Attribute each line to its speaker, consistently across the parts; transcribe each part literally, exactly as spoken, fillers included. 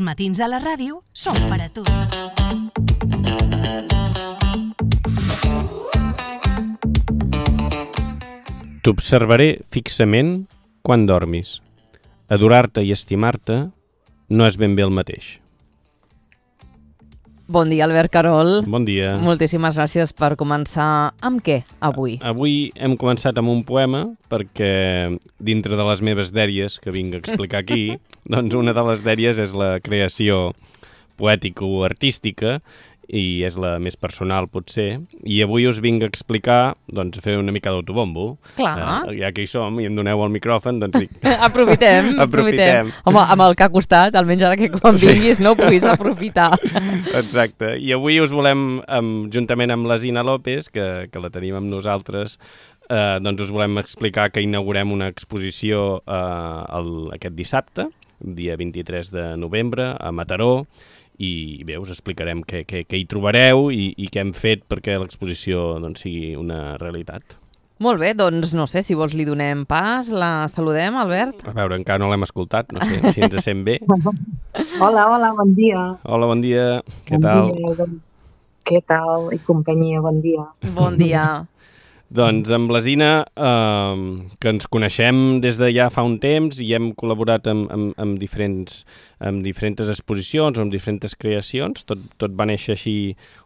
Speaker 1: Els matins a la ràdio són per a tu.
Speaker 2: T'observaré fixament quan dormis. Adorar-te i estimar-te no és ben bé el mateix.
Speaker 3: Bon dia, Albert Carol.
Speaker 2: Bon dia.
Speaker 3: Moltíssimes gràcies per començar. Amb què, avui?
Speaker 2: Avui hem començat amb un poema perquè dintre de les meves dèries que vinc a explicar aquí, doncs una de les dèries és la creació poètica o artística i és la més personal, potser. I avui us vinc a explicar, doncs, a fer una mica d'autobombo.
Speaker 3: Clar.
Speaker 2: Eh, ja que hi som i em doneu el micròfon, doncs dic...
Speaker 3: aprofitem, aprofitem, aprofitem. Home, amb el que ha costat, almenys ara que quan vinguis no ho puguis aprofitar.
Speaker 2: Exacte. I avui us volem, amb, juntament amb la Zina López, que, que la tenim amb nosaltres, eh, doncs us volem explicar que inaugurem una exposició eh, el, aquest dissabte, dia vint-i-tres de novembre, a Mataró, i bé, us explicarem què, què, què hi trobareu i, i què hem fet perquè l'exposició doncs, sigui una realitat.
Speaker 3: Molt bé, doncs no sé, si vols li donem pas, la saludem, Albert?
Speaker 2: A veure, encara no l'hem escoltat, no sé si ens sent bé.
Speaker 4: Hola, hola, bon dia.
Speaker 2: Hola, bon dia, què
Speaker 4: bon
Speaker 2: tal?
Speaker 4: Dia, bon... Què tal i companyia, bon dia.
Speaker 3: Bon dia.
Speaker 2: Doncs amb la Zina, eh, que ens coneixem des de ja fa un temps i hem col·laborat amb, amb, amb, diferents, amb diferents exposicions o amb diferents creacions. Tot, tot va néixer així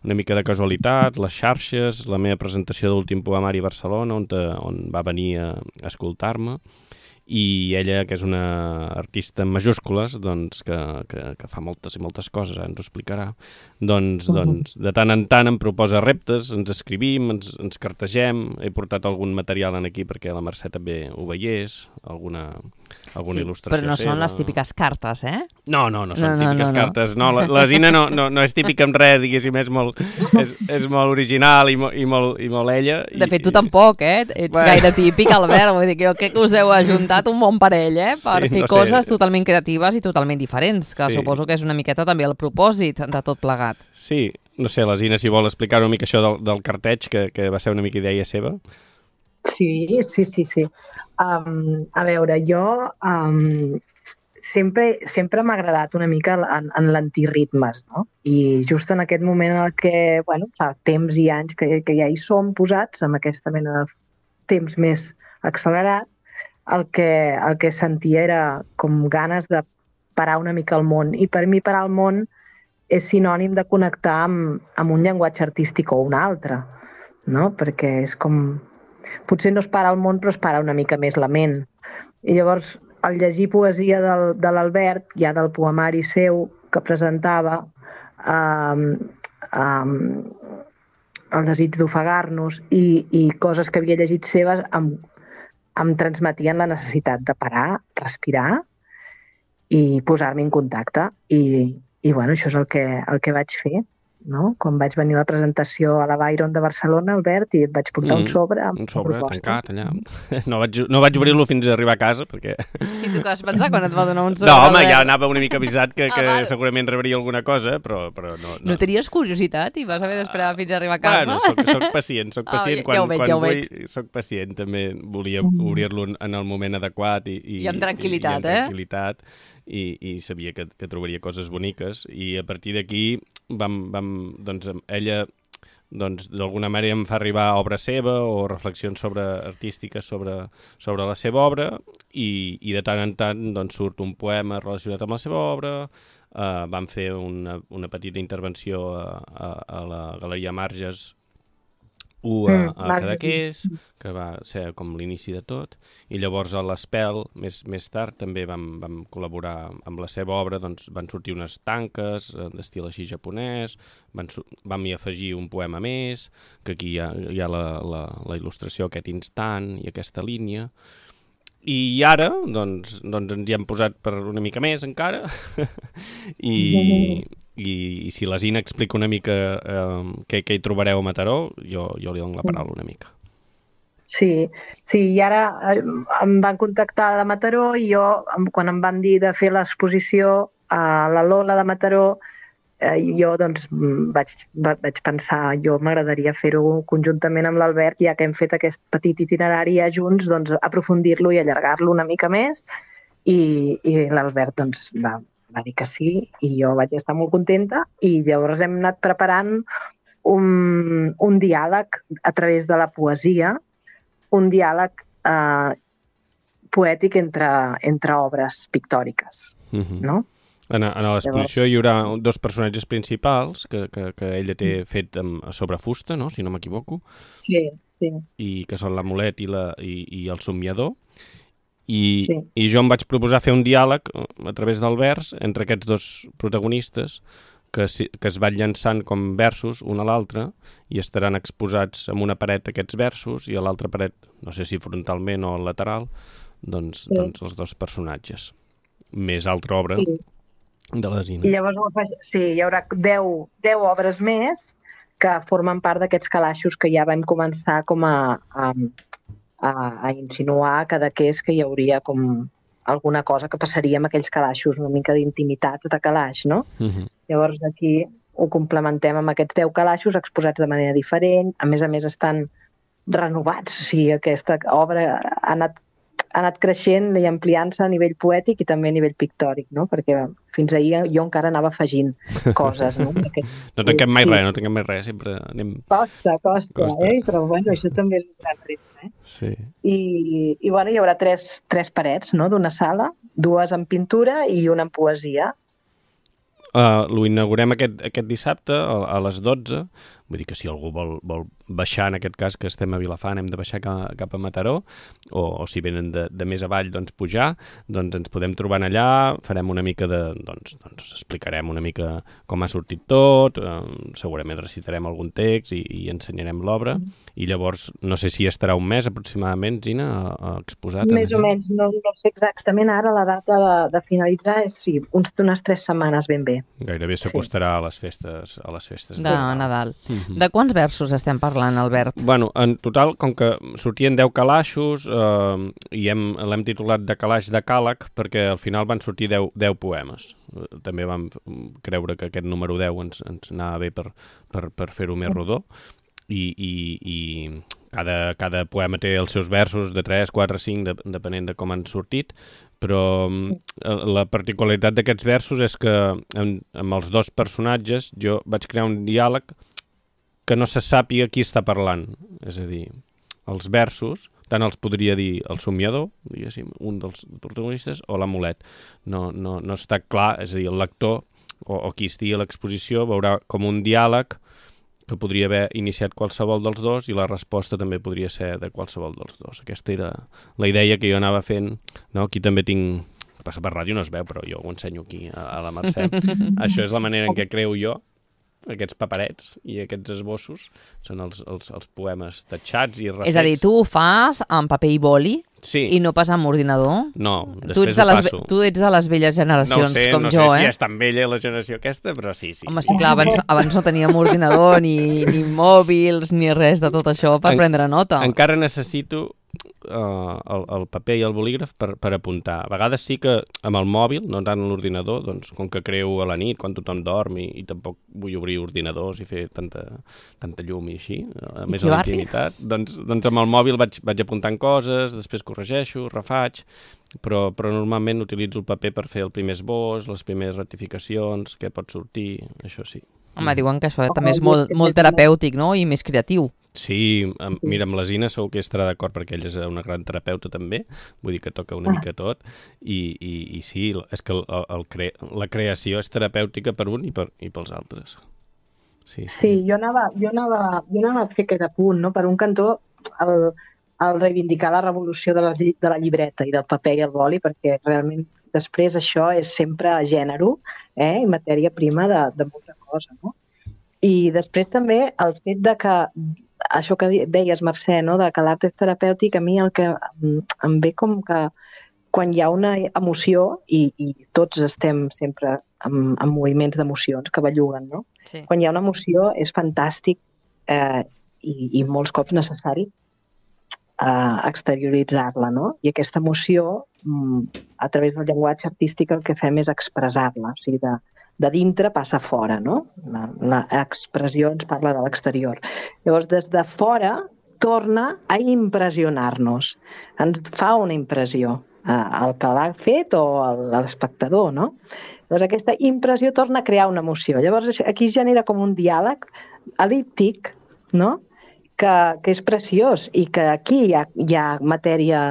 Speaker 2: una mica de casualitat, les xarxes, la meva presentació d'Últim Poemari a Barcelona, on, te, on va venir a, a escoltar-me. I ella, que és una artista en majúscules, doncs, que, que, que fa moltes i moltes coses, ens ho explicarà, doncs, uh -huh. doncs de tant en tant em proposa reptes, ens escrivim, ens, ens cartegem, he portat algun material en aquí perquè la Mercè també ho veiés, alguna, alguna
Speaker 3: sí,
Speaker 2: il·lustració
Speaker 3: però no
Speaker 2: seva.
Speaker 3: són les típiques cartes, eh?
Speaker 2: No, no, no són
Speaker 3: no, no,
Speaker 2: típiques
Speaker 3: no, no.
Speaker 2: cartes, no, la, la Zina no, no, no és típica amb res, diguéssim, és molt, és, és molt original i, mo, i, molt, i molt ella.
Speaker 3: De fet,
Speaker 2: i,
Speaker 3: tu tampoc, eh? Ets
Speaker 2: bueno.
Speaker 3: gaire típic, Albert, vull dir que jo crec que us heu ajuntat un bon parell, eh? Per
Speaker 2: Sí,
Speaker 3: fer
Speaker 2: no sé.
Speaker 3: coses totalment creatives i totalment diferents, que
Speaker 2: Sí.
Speaker 3: suposo que és una miqueta també el propòsit de tot plegat.
Speaker 2: Sí, no sé, la Zina, si vol explicar una mica això del, del carteig, que, que va ser una mica idea seva.
Speaker 4: Sí, sí, sí, sí. Um, a veure, jo um, sempre, sempre m'ha agradat una mica en, en l'antiritmes, no? I just en aquest moment en el que, bueno, fa temps i anys que, que ja hi som posats, amb aquesta mena de temps més accelerat, el que, el que sentia era com ganes de parar una mica el món. I per mi parar el món és sinònim de connectar amb, amb un llenguatge artístic o un altre, no? Perquè és com... Potser no es para el món, però es para una mica més la ment. I llavors, al llegir poesia del, de l'Albert, ja del poemari seu que presentava, um, um, el desig d'ofegar-nos i, i coses que havia llegit seves, em, em transmetien la necessitat de parar, respirar i posar-me en contacte. I, i bueno, això és el que, el que vaig fer, no? Quan vaig venir a la presentació a la Byron de Barcelona, Albert, i et vaig portar mm, un sobre amb
Speaker 2: un sobre
Speaker 4: proposta.
Speaker 2: tancat allà. No vaig, no vaig obrir-lo fins a arribar a casa, perquè...
Speaker 3: I tu què vas pensar quan et va donar un sobre?
Speaker 2: No, home,
Speaker 3: Albert?
Speaker 2: ja anava una mica avisat que, que
Speaker 3: Ah, val.
Speaker 2: segurament rebria alguna cosa, però, però no, no.
Speaker 3: No tenies curiositat i vas haver d'esperar fins a arribar a casa?
Speaker 2: Bueno, soc, soc pacient, soc pacient.
Speaker 3: Ah, ja-
Speaker 2: quan,
Speaker 3: ja ho veig,
Speaker 2: quan
Speaker 3: ja ho
Speaker 2: vull,
Speaker 3: veig.
Speaker 2: soc pacient, també volia obrir-lo en el moment adequat i, i,
Speaker 3: I amb tranquil·litat,
Speaker 2: i, i amb
Speaker 3: eh?
Speaker 2: tranquil·litat, i, i sabia que, que trobaria coses boniques, i a partir d'aquí vam, vam, doncs, ella doncs d'alguna manera em fa arribar obra seva o reflexions sobre artístiques sobre, sobre la seva obra, i, i de tant en tant doncs, surt un poema relacionat amb la seva obra. Uh, vam fer una, una petita intervenció a, a, a la Galeria Marges u a, a Cadaqués, que va ser com l'inici de tot, i llavors a l'Espel, més, més tard, també vam, vam col·laborar amb la seva obra, doncs van sortir unes tanques d'estil així japonès, van, vam hi afegir un poema més, que aquí hi ha, hi ha la, la, la il·lustració, aquest instant i aquesta línia. I ara, doncs, doncs ens hi hem posat per una mica més encara, i, i, i si la Zina explica una mica eh, què, què hi trobareu a Mataró, jo, jo li dono la paraula una mica.
Speaker 4: Sí, sí, i ara em van contactar de Mataró i jo, quan em van dir de fer l'exposició a la Lola de Mataró, eh, jo doncs vaig, vaig pensar, jo m'agradaria fer-ho conjuntament amb l'Albert, ja que hem fet aquest petit itinerari ja junts, doncs aprofundir-lo i allargar-lo una mica més, i, i l'Albert doncs va, va dir que sí i jo vaig estar molt contenta i llavors hem anat preparant un, un diàleg a través de la poesia, un diàleg eh, poètic entre, entre obres pictòriques, uh-huh. no?
Speaker 2: En, en l'exposició hi haurà dos personatges principals que, que, que ella té fet amb, sobre fusta, no? Si no m'equivoco.
Speaker 4: Sí, sí.
Speaker 2: I que són l'amulet i, la, i, i el somniador. I,
Speaker 4: sí.
Speaker 2: I jo em vaig proposar fer un diàleg a través del vers entre aquests dos protagonistes que, que es van llançant com versos un a l'altre i estaran exposats en una paret aquests versos i a l'altra paret, no sé si frontalment o lateral, doncs, sí. doncs els dos personatges. Més altra obra sí. de la Zina.
Speaker 4: I llavors sí, hi haurà deu, deu obres més que formen part d'aquests calaixos que ja vam començar com a... a A, a insinuar cada que és que hi hauria com alguna cosa que passaria amb aquells calaixos, una mica d'intimitat de calaix, no? Uh-huh. Llavors aquí ho complementem amb aquests deu calaixos exposats de manera diferent, a més a més estan renovats, o sigui, aquesta obra ha anat, ha anat creixent i ampliant-se a nivell poètic i també a nivell pictòric, no? Perquè fins ahir jo encara anava afegint coses, no? Aquest,
Speaker 2: no tanquem mai sí. res, no tanquem mai res, sempre anem...
Speaker 4: Costa, costa, costa. Eh? Però bueno, això també és un gran repte, eh?
Speaker 2: Sí.
Speaker 4: I, i bueno, hi haurà tres, tres parets, no?, d'una sala, dues en pintura i una en poesia.
Speaker 2: Uh, lo inaugurem aquest, aquest dissabte a, a les dotze, vull dir que si algú vol, vol baixar, en aquest cas que estem a Vilafant, hem de baixar cap, cap a Mataró, o, o si venen de, de més avall, doncs pujar, doncs ens podem trobar allà, farem una mica de, doncs, doncs explicarem una mica com ha sortit tot, eh, segurament recitarem algun text i, i ensenyarem l'obra, i llavors no sé si estarà un mes aproximadament, Zina, a, a exposat.
Speaker 4: Més o menys, no, no sé exactament ara la data de, de finalitzar, és sí, uns, unes tres setmanes ben bé.
Speaker 2: Gairebé s'acostarà sí. a les festes, a les festes
Speaker 3: de, de Nadal. Uh-huh. De quants versos estem parlant, Albert?
Speaker 2: Bueno, en total, com que sortien deu calaixos, eh, i hem, l'hem titulat de calaix de càleg, perquè al final van sortir deu, deu poemes. També vam creure que aquest número deu ens, ens anava bé per, per, per fer-ho més rodó, i, i, i cada, cada poema té els seus versos de tres, quatre, cinc, de, depenent de com han sortit, però la particularitat d'aquests versos és que amb, amb els dos personatges jo vaig crear un diàleg que no se sàpiga qui està parlant. És a dir, els versos, tant els podria dir el somniador, diguéssim, un dels protagonistes, o l'amulet. No, no, no està clar, és a dir, el lector o, o qui estigui a l'exposició veurà com un diàleg que podria haver iniciat qualsevol dels dos i la resposta també podria ser de qualsevol dels dos. Aquesta era la idea que jo anava fent. No? Aquí també tinc... Que passa per ràdio, no es veu, però jo ho ensenyo aquí a, a la Mercè. Això és la manera en què creo jo aquests paperets i aquests esbossos. Són els, els, els poemes tatxats i refets.
Speaker 3: És a dir, tu ho fas amb paper i boli?
Speaker 2: Sí.
Speaker 3: I no pas amb ordinador?
Speaker 2: No, després ho
Speaker 3: les,
Speaker 2: passo.
Speaker 3: Tu ets de les velles generacions,
Speaker 2: no sé,
Speaker 3: com
Speaker 2: no
Speaker 3: jo,
Speaker 2: sé
Speaker 3: eh?
Speaker 2: si és tan vella la generació aquesta, però sí, sí.
Speaker 3: Home,
Speaker 2: sí,
Speaker 3: sí, clar, abans, abans no teníem ordinador, ni, ni mòbils, ni res de tot això per en, prendre nota.
Speaker 2: Encara necessito uh, el, el paper i el bolígraf per, per apuntar. A vegades sí que amb el mòbil, no tant l'ordinador, doncs com que creo a la nit, quan tothom dorm, i, i tampoc vull obrir ordinadors i fer tanta, tanta llum i així, a més a la intimitat, doncs, doncs amb el mòbil vaig, vaig apuntant coses, després corregeixo, refaig, però, però normalment utilitzo el paper per fer el primer esbós, les primeres rectificacions, què pot sortir, això sí.
Speaker 3: Home, diuen que això també és molt, molt terapèutic, no?, i més creatiu.
Speaker 2: Sí, amb, mira, amb la Zina segur que estarà d'acord perquè ella és una gran terapeuta també, vull dir que toca una mica tot, i, i, i sí, és que el, el cre la creació és terapèutica per un i, per, i pels altres. Sí, sí.
Speaker 4: sí jo, anava, jo, anava, jo anava a fer aquest apunt, no? Per un cantó, el, el reivindicar la revolució de la, de la llibreta i del paper i el boli, perquè realment després això és sempre gènere, eh? I matèria prima de, de molta cosa, no? I després també el fet de que, això que deies, Mercè, no? De que l'art és terapèutic, a mi el que em ve com que quan hi ha una emoció, i, i tots estem sempre en, en moviments d'emocions que belluguen, no? Sí. Quan hi ha una emoció és fantàstic eh, i, i molts cops necessari eh, exterioritzar-la, no? I aquesta emoció, a través del llenguatge artístic, el que fem és expressar-la, o sigui, de, de dintre passa fora, no? L'expressió ens parla de l'exterior. Llavors, des de fora torna a impressionar-nos. Ens fa una impressió, eh, el que l'ha fet o l'espectador, no? Llavors aquesta impressió torna a crear una emoció. Llavors aquí es genera com un diàleg elíptic, no? que, que és preciós i que aquí hi ha, hi ha matèria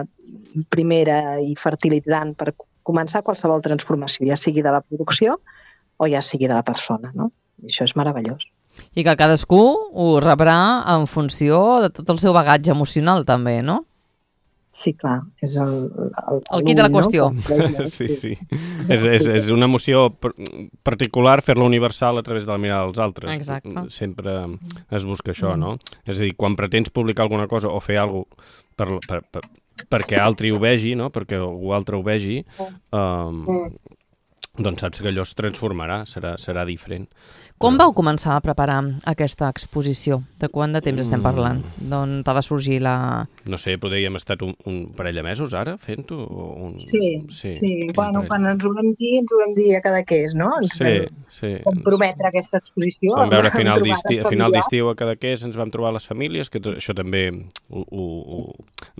Speaker 4: primera i fertilitzant per començar qualsevol transformació, ja sigui de la producció o ja sigui de la persona, no? I això és meravellós.
Speaker 3: I que cadascú ho rebrà en funció de tot el seu bagatge emocional també, no?
Speaker 4: Sí, clar, és el... El,
Speaker 3: el quid de la qüestió.
Speaker 4: No?
Speaker 2: Sí, sí. És, és, és una emoció particular fer-la universal a través de la mirada dels altres.
Speaker 3: Exacte.
Speaker 2: Sempre es busca això, no? És a dir, quan pretens publicar alguna cosa o fer alguna cosa per, per, per, perquè altri ho vegi, no? Perquè algú altre ho vegi, um, doncs saps que allò es transformarà, serà, serà diferent.
Speaker 3: Com vau començar a preparar aquesta exposició? De quant de temps estem parlant? D'on te va sorgir la...
Speaker 2: No sé, podríem estar un, un parell de mesos ara fent-ho? Un...
Speaker 4: Sí, sí. sí. Bueno, quan ens ho vam dir, ens ho vam dir a cada que és, no? Ens
Speaker 2: sí, sí.
Speaker 4: comprometre aquesta exposició.
Speaker 2: Vam veure a final d'estiu, a final d'estiu a cada que és, ens vam trobar les famílies, que això també ho, ho, ho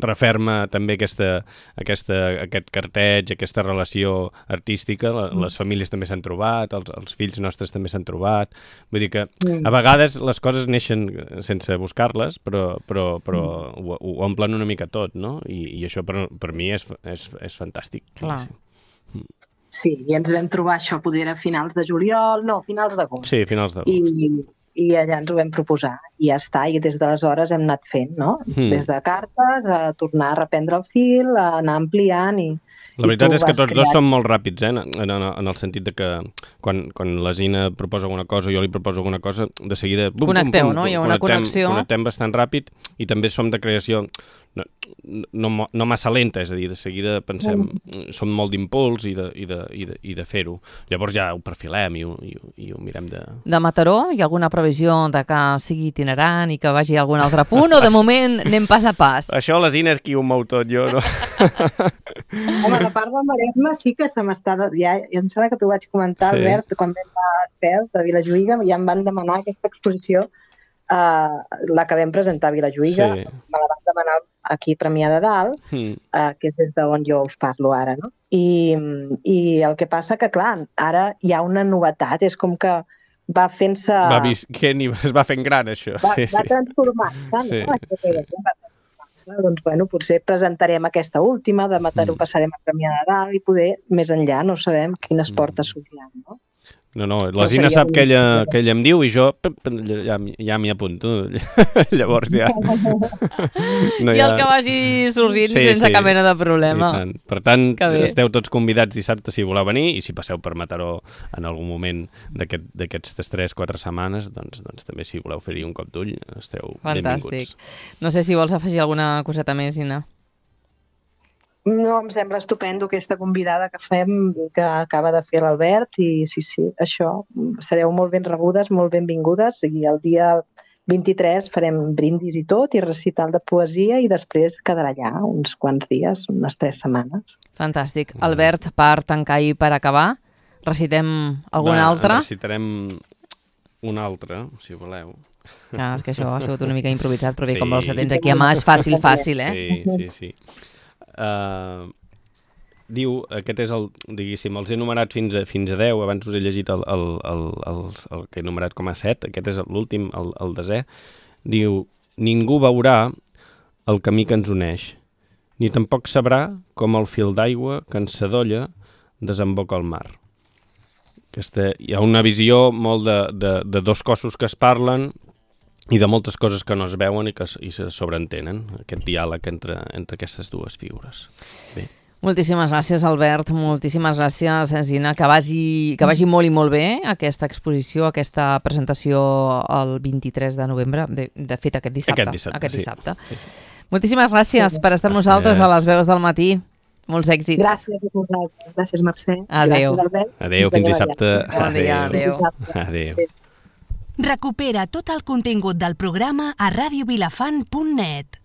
Speaker 2: referma també aquesta, aquesta, aquest carteig, aquesta relació artística. Les famílies també s'han trobat, els, els fills nostres també s'han trobat. Vull dir que a vegades les coses neixen sense buscar-les, però, però, però ho, ho omplen una mica tot, no? I, i això per, per mi és, és, és fantàstic.
Speaker 3: Clar.
Speaker 2: Sí.
Speaker 4: Sí, i ens vam trobar això, poder a finals de juliol, no, finals d'agost.
Speaker 2: Sí, finals d'agost.
Speaker 4: I, I allà ens ho vam proposar, i ja està, i des d'aleshores hem anat fent, no? Mm. Des de cartes, a tornar a reprendre el fil, a anar ampliant i...
Speaker 2: La veritat és que tots dos som molt ràpids, eh? en, en, en el sentit de que quan, quan la Zina proposa alguna cosa o jo li proposo alguna cosa, de seguida... Bum,
Speaker 3: Connecteu,
Speaker 2: bum, bum,
Speaker 3: no? Hi ha una connexió.
Speaker 2: Connectem bastant ràpid i també som de creació no, no, no massa lenta, és a dir, de seguida pensem, mm. som molt d'impuls i de, i de, i de, i de fer-ho. Llavors ja ho perfilem i ho, i, ho, i ho mirem de...
Speaker 3: De Mataró, hi ha alguna previsió de que sigui itinerant i que vagi a algun altre punt o de moment anem pas a pas?
Speaker 2: Això la Zina és qui ho mou tot, jo no.
Speaker 4: Home, la part del Maresme sí que se m'està... Ja, ja em sembla que t'ho vaig comentar, sí. Albert, quan vam a Espels, de Vilajuïga, ja em van demanar aquesta exposició, uh, la que vam presentar a Vilajuïga, sí. Me la van demanar aquí a Premià de Dalt, mm. uh, que és des d'on jo us parlo ara, no? I, I el que passa que, clar, ara hi ha una novetat, és com que va fent-se...
Speaker 2: Va visquent i es va fent gran, això.
Speaker 4: Va,
Speaker 2: sí,
Speaker 4: va
Speaker 2: sí.
Speaker 4: transformant-se,
Speaker 2: sí,
Speaker 4: no? Sí. Doncs, bueno, potser presentarem aquesta última, de Mataró mm. passarem a Premià de Dalt i poder, més enllà, no sabem quines portes s'obriran, no?
Speaker 2: No, no, la Zina sap que ella, que ella em diu i jo ja, ja m'hi apunto. Llavors ja...
Speaker 3: No, I el ha... que vagi sorgint sí, sense sí. cap mena de problema.
Speaker 2: Tant. Per tant, esteu tots convidats dissabte si voleu venir i si passeu per Mataró en algun moment d'aquestes aquest, tres quatre setmanes, doncs, doncs també si voleu fer-hi un cop d'ull, esteu
Speaker 3: Fantàstic.
Speaker 2: benvinguts.
Speaker 3: No sé si vols afegir alguna coseta més, Zina.
Speaker 4: No, em sembla estupendo aquesta convidada que fem, que acaba de fer l'Albert, i sí, sí, això, sereu molt ben rebudes, molt benvingudes, i el dia vint-i-tres farem brindis i tot, i recital de poesia, i després quedarà allà uns quants dies, unes tres setmanes.
Speaker 3: Fantàstic. Albert, per tancar i per acabar, recitem alguna
Speaker 2: Va,
Speaker 3: altra?
Speaker 2: Recitarem una altra, si voleu.
Speaker 3: Ah, és que això ha sigut una mica improvisat, però bé, sí. Com els tens aquí a mà, és fàcil, fàcil, eh?
Speaker 2: Sí, sí, sí. Uh, diu, aquest és el, diguéssim, els he enumerat fins a, fins a deu, abans us he llegit el, el, el, el, el que he enumerat com a set, aquest és l'últim, el, el desè. Diu, ningú veurà el camí que ens uneix, ni tampoc sabrà com el fil d'aigua que ens sadolla desemboca al mar. Aquesta, hi ha una visió molt de, de, de dos cossos que es parlen i de moltes coses que no es veuen i que i se sobreentenen, aquest diàleg entre, entre aquestes dues figures. Bé.
Speaker 3: Moltíssimes gràcies, Albert, moltíssimes gràcies, Zina, que vagi, que vagi molt i molt bé aquesta exposició, aquesta presentació el vint-i-tres de novembre, de, de fet aquest dissabte.
Speaker 2: Aquest dissabte,
Speaker 3: aquest dissabte.
Speaker 2: Sí. sí.
Speaker 3: Moltíssimes gràcies per estar amb nosaltres a les veus del matí. Molts èxits.
Speaker 4: Gràcies a vosaltres. Gràcies, Mercè.
Speaker 3: Adéu.
Speaker 4: Gràcies,
Speaker 2: adéu, fins dissabte.
Speaker 3: Bon dia, adéu.
Speaker 2: Adéu.
Speaker 1: Recupera tot el contingut del programa a radio vilafant punt net.